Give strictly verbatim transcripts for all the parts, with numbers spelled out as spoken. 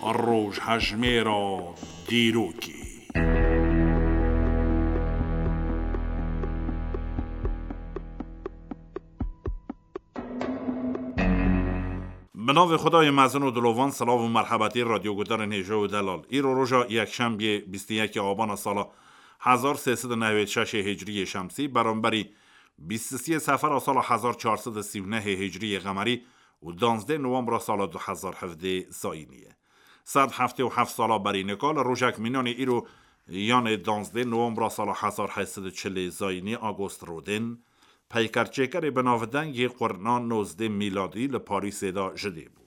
Rojhejmêra dîrokê. Bi navê Xwedayê mezin û dilovan, silav û merhebetî radyoguhdarên hêja û delal. Îro roja yekşembiyê bîst û yekê abana sala hezar sê sed û newêd şeşê hicriyê şemsî, beramberî bîst û siyê sefera sala hezar çar sed û sî û nehê hicriyê qemerî û danzdê nowembra sala du hezar hevdê zayînî ye. Sed heftê û heft sala berî nika li rojek mînanê îro, yanê danzdê nowembra sala hezar heyt sed û çilê zayînî, Agost Rodin, peykerçêkerê bi navdeng yê qurna nozdê mîladî li Parîsê de ji dê bû.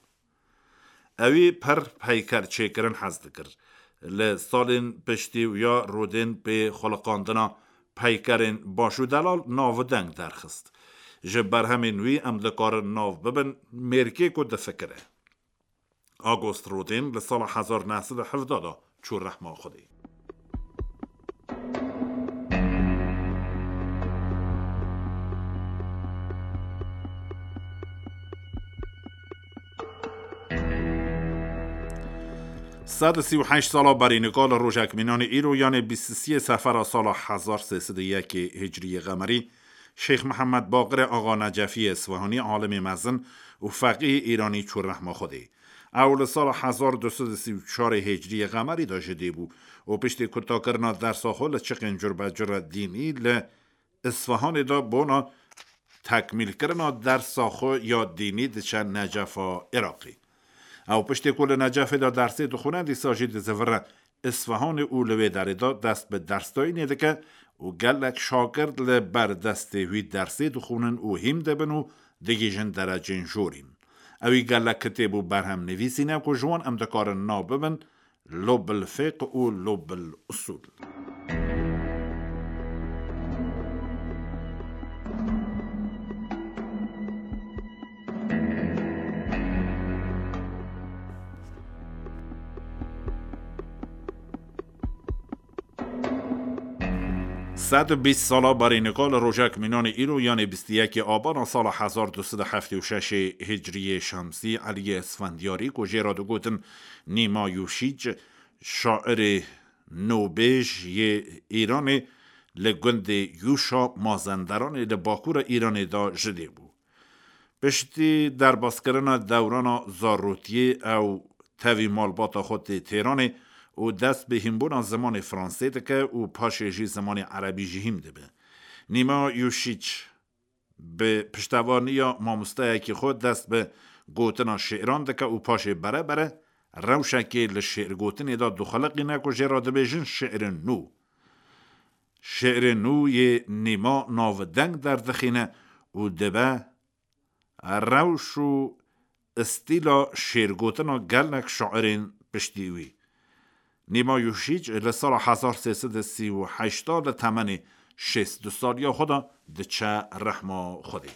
Ewî pir peykerçêkirin hez dikir. Li salên piştî wî ya Rodin pê xuliqandina peykerên baş û delal navdeng derxist. Ji berhemên wî em dikarin nav bibin mêrkê ku difikire. Agost Rodin li sala hezar neh sed û hevdeh de çû rehma Xwedê. Sed û sî û heşt sala berî nika li rojek mînanê îro, yanê bîst û siyê sefera sala hezar sê sed û yekê hicriyê qemerî, Şêx Mihemed Baqirê Axa Necefiyê Swehanî, alimê mezin û feqîhê îranî çû rehma Xwedê. Ew li sala hezar du sed û sî û çarê hicriyê qemerî de ji dê bû û piştî kutakirina dersa xwe li çiqên curbecura dînî li Isfahanê de bona tekmîlkirina dersa xwe ya dînî diçe Necefa Iraqê. Ew piştî ku li Necefê de dersê dixwine, dîsa jî dizivire Isfahanê û li wê derê de dest bi dersdayînê dike û gelek şagirt li ber destê wî dersê dixwînin û hîm dibin û digihîjin derecên jorîn. Ewî gelek kitêb û berhem nivîsîne ku ji wan em dikarin nav bibin Lubb el-Fiqh û Lubb el-Usul. Sed û bîst sala berî nika li rojek mînanê îro, yanê bîst û yekê abana sala hezar du sed û heftê û şeşê hicriyê şemsî, Eliyê Isfendiyarî ku jê re digotin Nîma Yûşîc, şairê nobêj yê Îranê, li gundê Yûşa Mazenderanê li bakûra Îranê de ji dê bû. Piştî derbaskirina dewrana zarotiyê ew tevî malbata xwe tê Têranê û dest bi hînbûna zimanê fransê dike û paşê jî zimanê erebî jî hîm dibe. Nîma Yûşîç bi piştevaniya mamosteyekî xwe dest bi gotina şi'ran dike û paşê bere bere rewşekê li şi'rgotinê de dixuliqîne ku jê re dibêjin şi'rê nû. Şi'rê nû yê Nîma navdeng derdixîne û dibe rewş û stîla şi'rgotina gelek şairên piştî wî. Nîma Yûşîç li sala hezar sê sed û sî û heşt de li temenê şêst û du saliya xwe de diçe rehma Xwedê.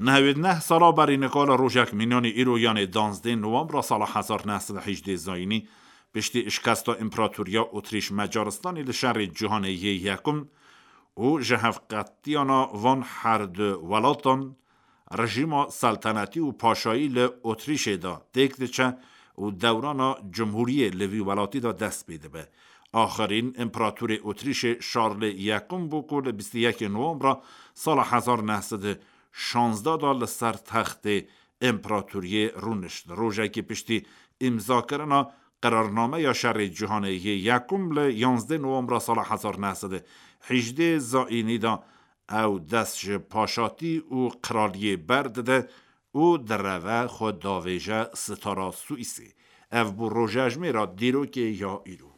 Nehewêd neh sala berî nika li rojek mînanê îro, yanê danzdê nowembra sala hezar neh sed û hejdê zayînî, piştî şikesta Împaratoriya Otrîş Macaristanê li şerê cîhanê yê yekum û ji hevqetiyana van her du welatan, rejîma seltenetî û paşayî li Otrîşê de têk diçe û dewrana cumhûriyê li vî welatî de dest pê dibe. Axirîn împeratorê Otrîşê Şarlê Yekum bû ku li bîst û yekê Nowembra sala hezar neh sed û şanzdeh de li ser textê împeratoriyê rûnişt. Rojekî piştî îmzakirina qerarnameya şerê cîhanê yê yekum li yanzdeh Nowembra sala hezar neh sed û hejdê zayînî de ew dest ji paşatî û qiraliyê berdide û direve xwe davêje sitara Swîsê. Ev bû rojejmêra dîrokê ya îro.